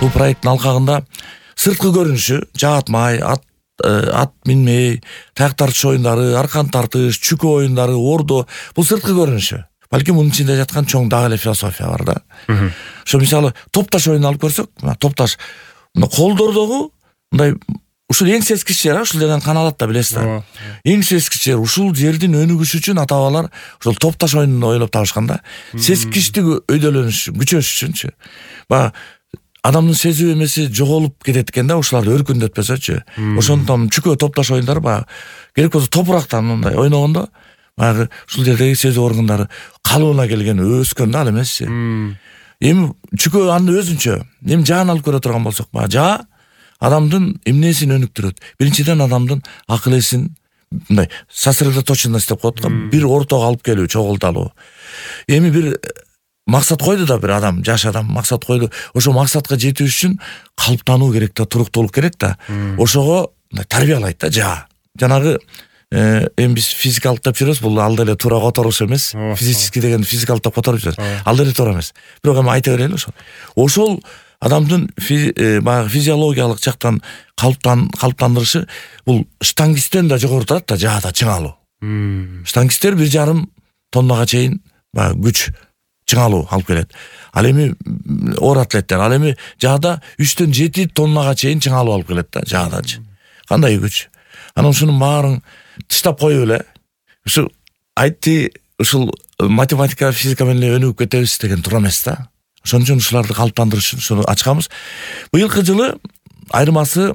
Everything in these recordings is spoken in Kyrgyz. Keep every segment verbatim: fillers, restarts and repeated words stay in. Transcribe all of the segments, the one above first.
бул проекттин алкагында сырткы көрүнүшү жаатмай, ат ат минмей, таяк тартыш оюндары, аркан тартыш, чүкө оюндары, ордо бул сырткы көрүнүшү. Балким мунун ичинде жаткан чоң дагы эле философия бар да. Ошо мисалы топташ оюнун алып көрсөк, мына топташ мына колдордогу мындай ушул эң сескич жер, ушул жерден каналат да, билесиз да. Эң сескич жер ушул жердин өнүгүшү үчүн ата-бабалар ушул топташ оюнун ойлоп табышкан да. Сескичтик өйдөлөнүш, күчөш үчүнчү. Баягы адамдын сезүү эмеси жоголуп кетет экен да, ушуларды өркүндөтпөсөчү. Ошондон чүкө топташ оюндары баягы керек болсо топурактан мындай ойногондо баягы ушул жердеги сезүү органдары калыбына келген, өскөн да, ал эмеси. Эми чүкө аны өзүнчө. Эми жаан алып көрө турган болсок, баягы жаа адамдын эмнесин өнүктүрөт? Биринчиден адамдын акыл эсин мындай сосредоточенность деп коет го, бир ортого алып келүү, чогулталуу. Эми бир максат койду да, бир адам, жаш адам максат койду. Ошо максатка жетүү үчүн калыптануу керек да, туруктуулук керек да. Ошого тарбиялайт да жаа. Жанагы эми биз физикалык деп жүрөбүз, бул ал деле туура которуш эмес. Физический деген физикалык деп которуп жүрөбүз. Ал деле туура эмес. Бирок эми айта берели ошо. Ошол адамдын баягы физиологиялык жактан калыптан калыптандырышы бул штангисттен да жогору турат да, жаада чыңалуу. Штангисттер бир жарым тоннага чейин баягы күч чыңалуу алып келет. Ал эми оор атлеттер, ал эми жаада үчтөн жети тоннага чейин чыңалуу алып келет да, жаадачы. Кандай күч? Анан ушунун баарын тыштап коюп эле ушу айтты, ушул математика, физика менен эле өнүгүп кетебиз деген туура эмес да. Ошон үчүн ушуларды калыптандырыш үчүн ушуну ачканбыз. Быйылкы жылы айырмасы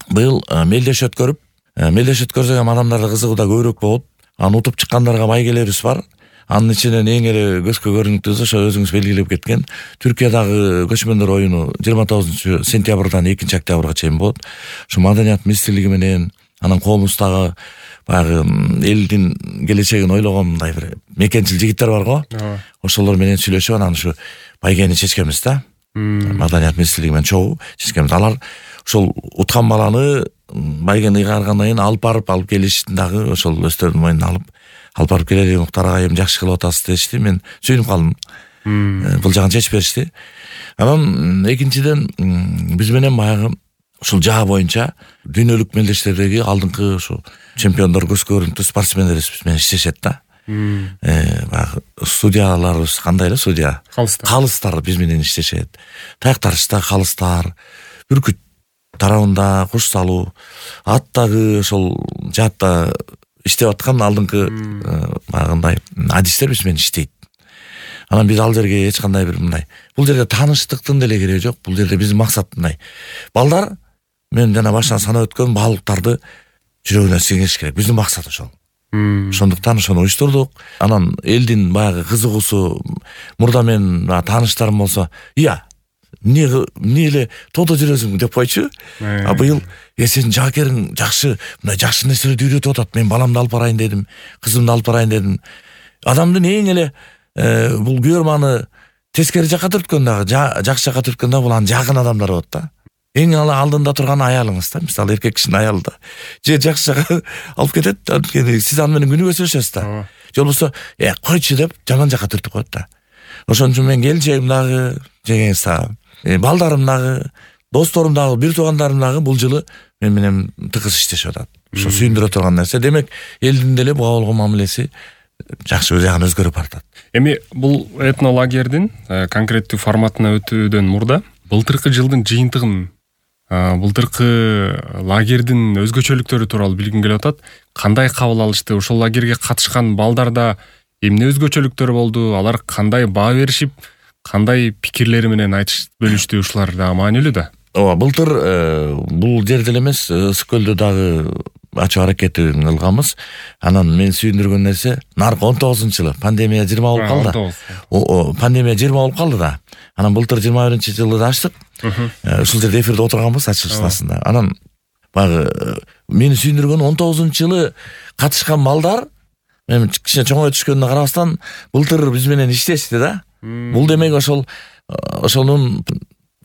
быйыл мелдеш өткөрүп, мелдеш өткөрсөк эми адамдарда кызыгуу да көбүрөөк болот. Аны утуп чыккандарга байгелерибиз бар. Анын ичинен эң эле көзгө көрүнүктүүсү ошо өзүңүз белгилеп кеткен Түркиядагы көчмөндөр оюну жыйырма тогузунчу сентябрдан экинчи октябрга чейин болот. Ошо маданият министрлиги менен анан коомубуздагы баягы элдин келечегин ойлогон мындай бир мекенчил жигиттер бар го. Ошолор менен сүйлөшүп анан ушу байгени чечкенбиз да. Маданият министрлиги менен чогуу чечкенбиз. Алар ошол уткан баланы байгени ыйгаргандан кийин алып барып алып келишти дагы, ошол өздөрүнүн мойнуна алып алып барып келели, Муктар ага эми жакшы кылып атасыз дешти. Мен сүйүнүп калдым. Бул жагын чечип беришти. Анан экинчиден биз менен баягы ушул жаа боюнча дүйнөлүк мелдештердеги алдыңкы ушу чемпиондор, көзгө көрүнүктүү спортсмендерибиз биз менен иштешет да. Э, баягы судьяларыбыз кандай эле судья? Калыстар. Калыстар биз менен иштешет. Таяк тартышта калыстар, бүркүт тарабында куш салуу, аттагы ошол жаатта иштеп аткан алдыңкы баягындай адистер биз менен иштейт. Анан биз ал жерге эч кандай бир мындай, бул жерде тааныштыктын деле кереги жок. Бул жерде биздин максат мындай. Балдар, мен жана башынан санап өткөн баалыктарды жүрөгүнө сиңириш керек. Биздин максат ошол. Ошондуктан ошону уюштурдук. Анан элдин баягы кызыгуусу, мурда мен тааныштарым болсо, "Ия, эмне эмне эле тодо жүрөсүң" деп койчу. А быйыл "Э, сенин жаакериң жакшы, мындай жакшы нерселерди үйрөтүп атат. Мен баламды алып барайын дедим, кызымды алып барайын дедим." Адамдын эң эле бул күйөрманы тескери жакка түрткөн дагы, жакшы жакка түрткөн дагы бул анын жакын адамдары болот да. Эң ала алдында турган аялыңыз да, мисалы эркек кишинин аялы да. Же жакшы жакка алып кетет, анткени сиз аны менен күнүгө сүйлөшөсүз да. Же болбосо, "Э, койчу" деп жаман жакка түртүп коет да. Ошон үчүн мен келинчегим дагы, жеңеңиз дагы, балдарым дагы, досторум дагы, бир туугандарым дагы бул жылы мен менен тыгыз иштешип атат. Ошо сүйүндүрө турган нерсе. Демек, элдин деле буга болгон мамилеси жакшы, өз жагын өзгөрүп баратат. Эми бул этнолагердин конкреттүү форматына өтүүдөн мурда былтыркы жылдын жыйынтыгын, былтыркы лагердин өзгөчөлүктөрү тууралуу билгим келип атат. Кандай кабыл алышты? Ошол лагерге катышкан балдарда эмне өзгөчөлүктөр болду? Алар кандай баа беришип, кандай пикирлери менен айтышып бөлүштү? Ушулар да маанилүү да. Ооба, былтыр бул жерде эле эмес, Ысык көлдө дагы ачуу аракетин кылганбыз. Анан мен сүйүндүргөн нерсе, наркы он тогузунчу жылы пандемия жыйырма болуп калды. О, пандемия жыйырма болуп калды да. Анан былтыр жыйырма биринчи жылы да ачтык. Ушул жерде эфирде отурганбыз ачылышында. Анан баягы мени сүйүндүргөн он тогузунчу жылы катышкан балдар, мен кичине чоңое түшкөнүнө карабастан, былтыр биз менен иштешти да. Бул демек ошол ошонун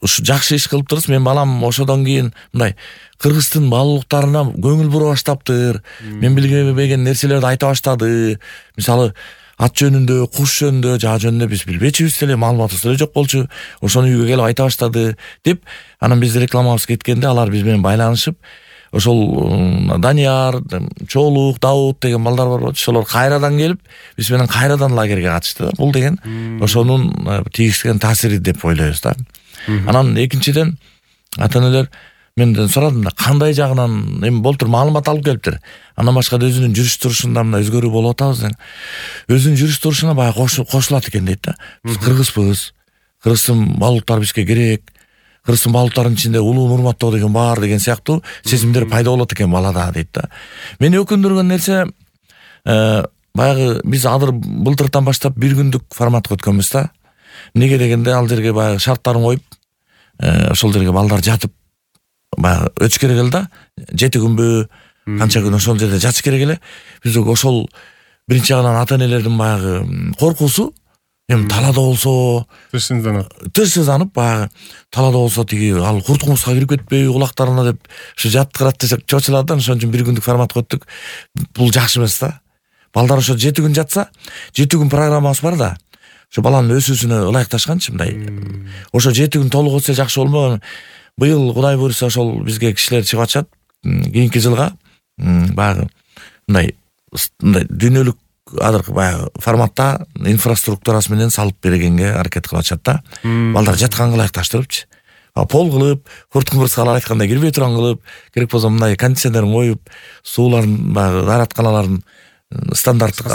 ушу жакшы иш кылыптырбыз. Мен балам ошодон кийин мындай кыргыздын баалуулуктарына көңүл бура баштаптыр. Мен билбеген нерселерди айта баштады. Мисалы, ат жөнүндө, куш жөнүндө, жаа жөнүндө биз билбечүбүз деле, маалыматыбыз деле жок болчу. Ошону үйгө келип айта баштады деп, анан биз рекламабыз кеткенде алар биз менен байланышып, ошол Данияр, Чоолук, Даут деген балдар бар болчу. Ошолор кайрадан келип, биз менен кайрадан лагерге катышты да. Бул деген ошонун тийгизген таасири деп ойлойбуз да. Анан экинчиден ата-энелер менден сурадым да, кандай жагынан эми болтур маалымат алып келиптир. Андан башка да өзүнүн жүрүш турушунда мына өзгөрүү болуп атабыз деген. Өзүнүн жүрүш турушуна баягы кошулат экен дейт да. Биз кыргызбыз. Кыргыздын балуктары бизге керек. Кыргыздын балуктарынын ичинде улуун урматтоо деген бар деген сыяктуу сезимдер пайда болот экен балада дейт да. Мени өкүндүргөн нерсе баягы биз азыр былтыртан баштап бир күндүк форматка өткөнбүз да. Эмнеге дегенде ал жерге баягы шарттарын коюп, ошол жерге балдар жатып баягы өтүш керек эле да. Жети күнбү, канча күн ошол жерде жатыш керек эле. Биз ошол биринчи жагынан ата-энелердин баягы коркуусу, эми талаада болсо тышсызданып, тышсызданып баягы талаада болсо тиги ал куртуңузга кирип кетпейби кулактарына деп ушу жаткырат десек чочулат да. Ошон үчүн бир күндүк форматка өттүк. Бул жакшы эмес да. Балдар ошо жети күн жатса, жети күн программабыз бар да. Ошо баланын өсүүсүнө ылайыкташканчы мындай. Ошо жети күн толук өтсө жакшы болмок. Быйыл Кудай буйруса ошол бизге кишилер чыгып атышат. Кийинки жылга баягы мындай мындай дүйнөлүк азыркы баягы форматта инфраструктурасы менен салып бергенге аракет кылып атышат да. Балдар жатканга ылайыкташтырыпчы. Пол кылып, куртуңбурскалар айткандай кирбей турган кылып, керек болсо мындай кондиционерин коюп, сууларын баягы дааратканаларын стандарттык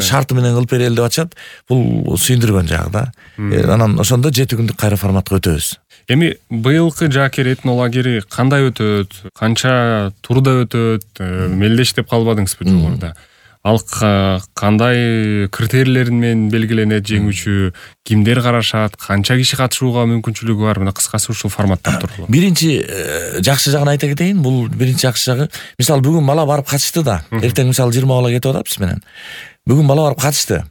шарты менен кылып берели деп атышат. Бул сүйүндүргөн жагы да. Анан ошондо жети күндүк кайра форматка өтөбүз. Эми быйылкы Жаакер этнолагери кандай өтөт? Канча турда өтөт? Мелдеш деп калбадыңызбы жогоруда? Ал кандай критерийлер менен белгиленет жеңүүчү? Кимдер карашат? Канча киши катышууга мүмкүнчүлүгү бар? Мына кыскасы ушул форматтар тууралуу. Биринчи жакшы жагын айта кетейин. Бул биринчи жакшы жагы. Мисалы бүгүн бала барып катышты да. Эртең мисалы жыйырма бала кетип атат биз менен. Бүгүн бала барып катышты.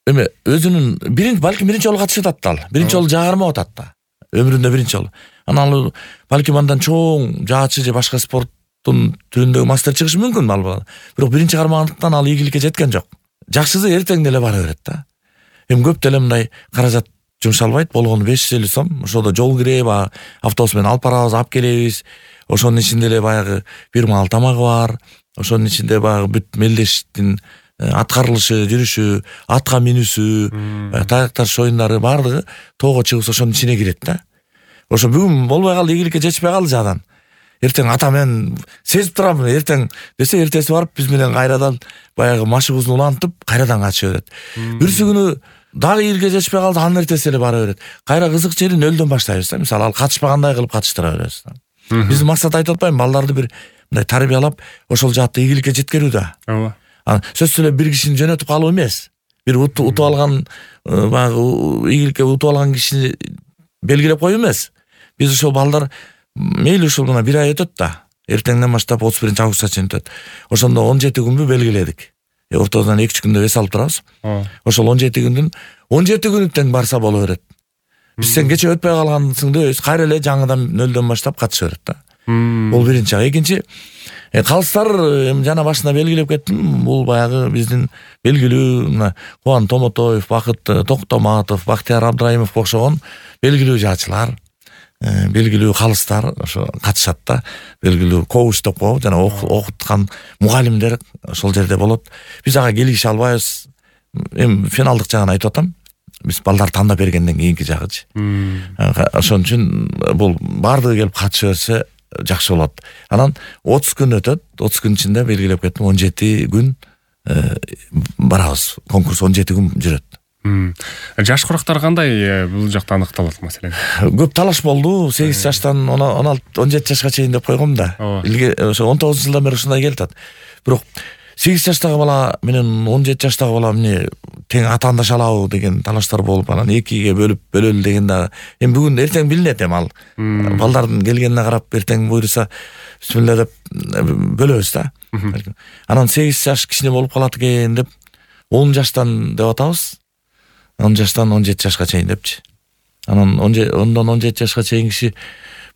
Эми өзүнүн биринчи балким биринчи жолу катышып атат ал. Биринчи жолу жаагармап атат да. Өмүрүндө биринчи жолу. Анан ал балким андан чоң жаачы же башка спорт түрүндөгү мастер чыгышы мүмкүн ал бала. Бирок биринчи кармагандыктан ал ийгиликке жеткен жок. Жакшысы эртең деле бара берет да. Эми көп деле мындай каражат жумшалбайт, болгону беш жүз элүү сом. Ошодо жол кире, баягы автобус менен алып барабыз, алып келебиз. Ошонун ичинде эле баягы бир маал тамагы бар. Ошонун ичинде баягы бүт мелдештин аткарылышы, жүрүшү, атка минүүсү, таякташ оюндары баардыгы тоого чыгып ошонун ичине кирет да. Ошо бүгүн болбой калды, ийгиликке жетишпей калды жадан. Эртең ата мен сезип турам, эртең десе эртеси барып биз менен кайрадан баягы машыгыбызды улантып кайрадан катыша берет. Бүрсү күнү дагы ийгиликке жетишпей калды, анын эртеси эле бара берет. Кайра кызык жери нөлдөн баштайбыз да. Мисалы ал катышпагандай кылып катыштыра беребиз да. Биздин максат айтып атпайбы, балдарды бир мындай тарбиялап ошол жаатта ийгиликке жеткирүү да. Ооба. Сөзсүз эле бир кишини жөнөтүп калуу эмес. Бир утуп алган баягы ийгиликке утуп алган кишини белгилеп коюу эмес. Биз ошол балдар мейли ушул мына бир ай өтөт да. Эртеңден баштап отуз биринчи августка чейин өтөт. Ошондо он жети күнбү белгиледик. Ортодон эки үч күндө эс алып турабыз. Ошол он жети күндүн он жети күнү тең барса боло берет. Биз сен кече өтпөй калгансың дебейбиз, кайра эле жаңыдан нөлдөн баштап катыша берет да. Бул биринчи. Экинчи, калыстар жана башында белгилеп кеттим. Бул баягы биздин белгилүү мына Кубан Томотоев, Бакыт Токтоматов, Бактияр Абдраимовго окшогон белгилүү жаачылар, белгилүү калыстар ошо катышат да. Белгилүү коуч деп коебу, жана окуткан мугалимдер ошол жерде болот. Биз ага келише албайбыз. Эми финалдык жагын айтып атам. Биз балдар тандап бергенден кийинки жагычы. Ошон үчүн бул баардыгы келип катыша берсе жакшы болот. Анан отуз күн өтөт. отуз күн ичинде белгилеп кеттим, он жети күн барабыз. Конкурс он жети күн жүрөт. Жаш курактар кандай бул жакта аныкталат маселен? Көп талаш болду. сегиз жаштан он алты он жети жашка чейин деп койгом да. Ошо он тогузунчу жылдан бери ушундай келип атат. Бирок сегиз жаштагы бала менен он жети жаштагы бала эмне тең атаандаша алабы деген талаштар болуп, анан экиге бөлүп бөлөлү деген да. Эми бүгүн эртең билинет эми ал. Балдардын келгенине карап эртең буйруса бисмилла деп бөлөбүз да. Анан сегиз жаш кичине болуп калат экен деп он жаштан деп атабыз. он жаштан он жети жашка чейин депчи. Анан ондон он жети жашка чейин киши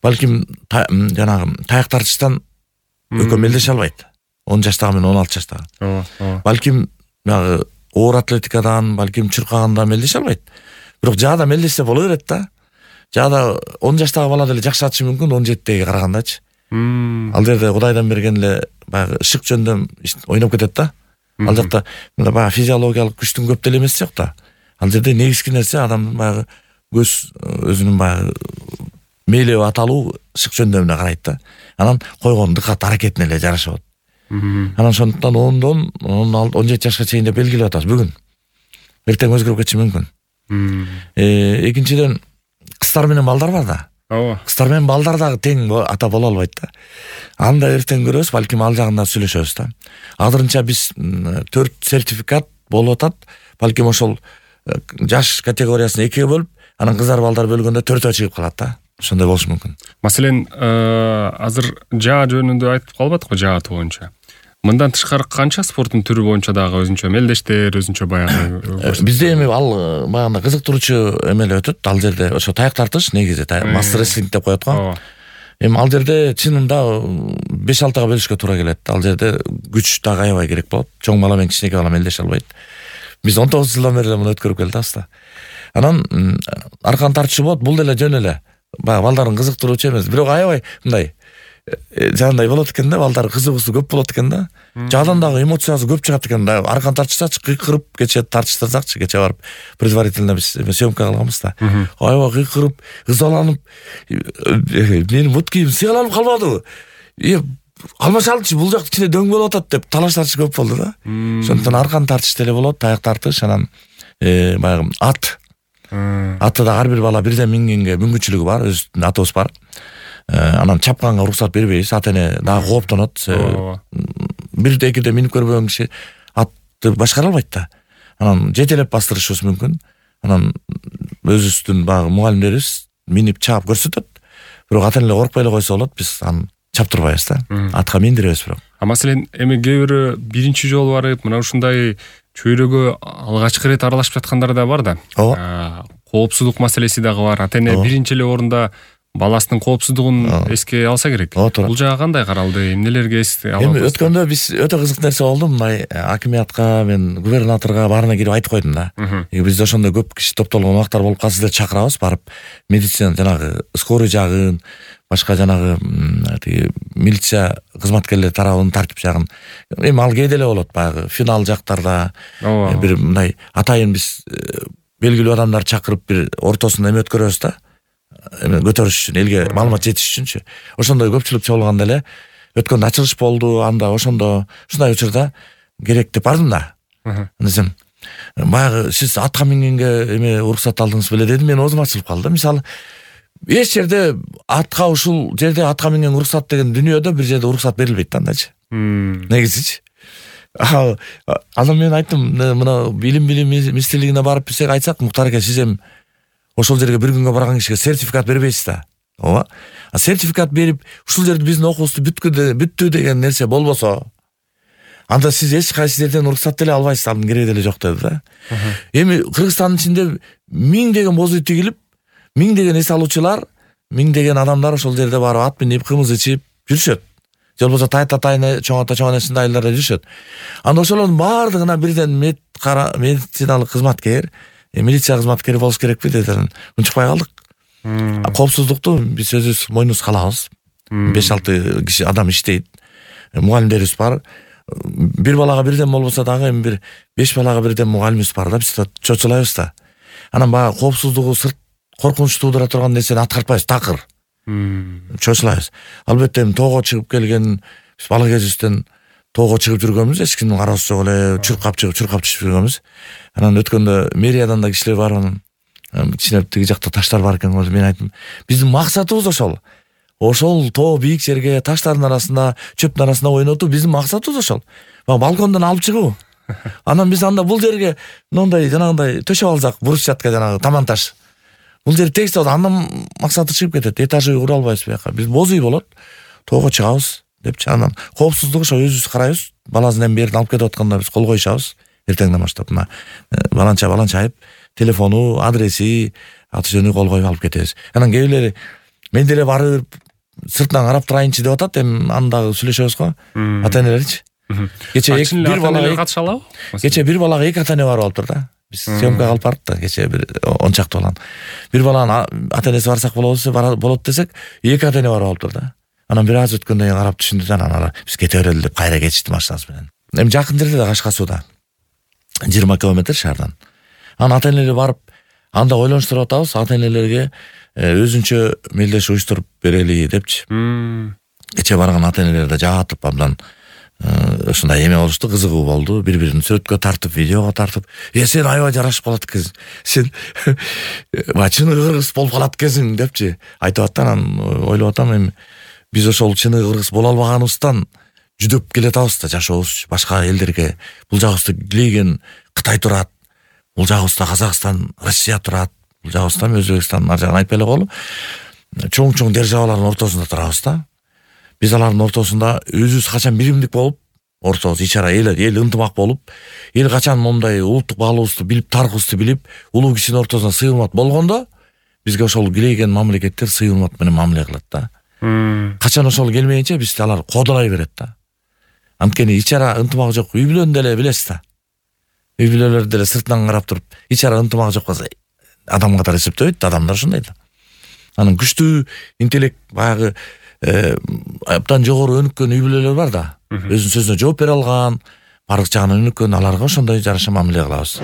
балким жанагы таяк тартыштан экөө мелдеше албайт. он жаштагы менен он алты жаштагы. Балким баягы оор атлетикадан, балким чуркагандан мелдеше албайт. Бирок жаада мелдешсе боло берет да. Жаада он жаштагы бала деле жакшы атышы мүмкүн он жетидеги карагандачы. Ал жерде Кудайдан берген эле баягы ышык жөндөм ойноп кетет да. Ал жакта мына баягы физиологиялык күчтүн көп деле эмеси жок да. Ал жерде негизги нерсе адамдын баягы көз өзүнүн баягы мээлеп аталуу ышык жөндөмүнө карайт да. Анан койгон дыкат аракетине эле жараша болот. Анан ошондуктан ондон он жети жашка чейин деп белгилеп атабыз бүгүн. Эртең өзгөрүп кетиши мүмкүн. Экинчиден кыздар менен балдар бар да. Ооба. Кыздар менен балдар дагы тең ата боло албайт да. Аны да эртең көрөбүз, балким ал жагында сүйлөшөбүз да. Азырынча биз төрт сертификат болуп атат. Балким ошол жаш категориясын экиге бөлүп, анан кыздар балдар бөлгөндө төртөө чыгып калат да. Ошондой болушу мүмкүн. Маселен, азыр жаа жөнүндө айтып калбадыкпы, жааты боюнча. Мындан тышкары канча спорттун түрү боюнча дагы өзүнчө мелдештер, өзүнчө баягы бизде эми ал баягы кызыктыруучу эмеле өтөт. Ал жерде ошо таяк тартыш негизи мастер реслинг деп коет го. Эми ал жерде чынында беш алтыга бөлүшкө туура келет. Ал жерде күч дагы аябай керек болот. Чоң бала менен кичинекей бала мелдеше албайт. Биз он тогуз жылдан бери муну өткөрүп келдик да. Анан аркан тартышы болот, бул деле жөн эле. Баягы балдарын кызыктыруучу эмес, бирок аябай мындай жандай болот экен да, балдар кызыгуусу көп болот экен да. Жаадан дагы эмоциясы көп чыгат экен да. Аркан тартышсачы кыйкырып кече тартыштырсакчы, кече барып предварительно биз съемка кылганбыз да. Аябай кыйкырып, ызаланып, менин бут кийим сыяланып калбадыбы? Э, калмашалычы бул жак ичине дөң болуп атат деп талаштарчы көп болду да. Ошондуктан аркан тартыш деле болот, таяк тартыш, анан баягы ат. Атты да ар бир бала бирден мингенге мүмкүнчүлүгү бар, өзүнүн атыбыз бар. Анан чапканга уруксат бербейбиз, ата эне дагы кооптонот. Бирде экиде минип көрбөгөн киши атты башкара албайт да. Анан жетелеп бастырышыбыз мүмкүн. Анан өзүбүздүн баягы мугалимдерибиз минип чаап көрсөтөт. Бирок ата энелер коркпой эле койсо болот, биз аны чаптырбайбыз да. Атка миндиребиз бирок. А маселен, эми кээ бирөө биринчи жолу барып, мына ушундай чөйрөгө алгачкы ирет аралашып жаткандар да бар да. Коопсуздук маселеси дагы бар. Ата эне биринчи эле орунда баласынын коопсуздугун эске алса керек. Бул жагы кандай каралды? Эмнелерге эске алып? Эми өткөндө биз өтө кызык нерсе болду. Мындай акимиятка, мен губернаторго баарына кирип айтып койдум да. Бизде ошондой көп киши топтолгон убактар болуп калса сиздерди чакырабыз, барып медицина жанагы скорый жагын, башка жанагы тиги милиция кызматкерлери тарабынын тартип жагын. Эми ал кээде эле болот, баягы финал жактарда бир мындай атайын биз белгилүү адамдар чакырып бир ортосун эме өткөрөбүз да. Эме көтөрүш үчүн, элге маалымат жетиш үчүнчү. Ошондой көпчүлүк чогулганда эле өткөндө ачылыш болду, анда ошондо ушундай учурда керек деп бардым да. Десем, баягы сиз атка мингенге эме уруксат алдыңыз беле дедим, мен оозум ачылып калды. Мисалы, эч жерде атка ушул жерде атка минген уруксат деген дүйнөдө бир жерде уруксат берилбейт да андачы. Негизичи. Анан мен айттым, мына билим билим министрлигине барып бизге айтсак, Муктар аке, сиз эми ошол жерге бир күнгө барган кишиге сертификат бербейсиз да. Ооба. А сертификат берип, ушул жерде биздин окуубузду бүттү деген нерсе болбосо, анда сиз эч кайсы жерден уруксат деле албайсыз, анын кереги деле жок деди да. Эми Кыргызстандын ичинде миңдеген боз үй тигилип, миңдеген эс алуучулар, миңдеген адамдар ошол жерде барып ат минип, кымыз ичип жүрүшөт. Же болбосо тайт атайын чоң ата чоң энесинде айылдарда жүрүшөт. Анда ошолордун баардыгына бирден медициналык кызматкер, милиция кызматкери болуш керекпи деди. Унчукпай калдык. Коопсуздукту биз өзүбүз мойнубузга алабыз. беш алты киши адам иштейт. Мугалимдерибиз бар. Бир балага бирден болбосо дагы эми бир беш балага бирден мугалимибиз бар да, биз чочулайбыз да. Анан баягы коопсуздугу сырт коркунуч туудура турган нерсени аткартпайбыз, такыр. Чочулайбыз. Албетте эми тоого чыгып келген, биз бала кезибизден тоого чыгып жүргөнбүз, эч кимдин кароосу жок эле, чуркап чыгып, чуркап түшүп жүргөнбүз. Анан өткөндө мэриядан да кишилер бар, анан кичине тиги жакта таштар бар экен, мен айттым, биздин максатыбыз ошол. Ошол тоо бийик жерге, таштардын арасында, чөптүн арасында ойнотуу биздин максатыбыз ошол. Балкондон алып чыгуу. Анан биз анда бул жерге мындай жанагындай төшөп алсак, брусчатка жанагы таман таш. Бул жер текст болот, андан максаты чыгып кетет. Этаж үй кура албайбыз бияка. Биз боз үй болот, тоого чыгабыз депчи. Анан коопсуздук ошо өзүбүз карайбыз. Баласын эми берден алып кетип атканда биз кол коюшабыз. Эртеңден баштап мына баланча баланча айып, телефону, адреси, аты жөнү кол коюп алып кетебиз. Анан кээ бирлери мен деле барып сыртынан карап турайынчы деп атат, эми аны дагы сүйлөшөбүз го. Ата энелерчи. Кече бир балага катыша алабы? Кече бир балага эки ата эне барып алыптыр да. Биз съемкага алып бардык да, кече бир он чакты баланы. Бир баланын ата энеси барсак болобу, болот десек, эки ата эне барып алыптыр да. Анан бир аз өткөндөн кийин карап түшүндү да, анан алар биз кете берели деп кайра кетишти машинасы менен. Эми жакын жерде да Кашка сууда. жыйырма километр шаардан. Анан ата энелер барып, анда ойлонуштуруп атабыз, ата энелерге өзүнчө мелдеш уюштуруп берели депчи. Кече барган ата энелер да жаатып абдан ушундай эме болушту, кызыгуу болду. Бири-бирин сүрөткө тартып, видеого тартып, "Э, сен аябай жарашып калат экенсиң. Сен чыны кыргыз болуп калат экенсиң" депчи айтып атты. Анан ойлоп атам, эми биз ошол чыны кыргыз боло албаганыбыздан жүдөп келатабыз да жашообуз башка элдерге. Бул жагыбызда Глейген Кытай турат. Бул жагыбызда Казакстан, Россия турат. Бул жагыбызда Өзбекстан, ар жагын айтпай эле коелу. Чоң-чоң державалардын ортосунда турабыз да. Биз алардын ортосунда өзүбүз качан биримдик болуп, ортобуз ичара эл эл ынтымак болуп, эл качан мондай улуттук баалуубузду билип, тарыхыбызды билип, улуу кишинин ортосунда сый урмат болгондо, бизге ошол Глейген мамлекеттер сый урмат менен мамиле кылат да. Качан ошол келмейинче бизди алар кодолой берет да. Анткени ичара ынтымак жок үй бүлөнү деле билесиз да. Үй бүлөлөр деле сыртынан карап туруп, ичара ынтымак жок болсо адам катары эсептебейт, адамдар ушундай да. Анан күчтүү интеллект баягы абдан жогору өнүккөн үй бүлөлөр бар да. Өзүнүн сөзүнө жооп бере алган, бардык жагынан өнүккөн, аларга ошондой жараша мамиле кылабыз.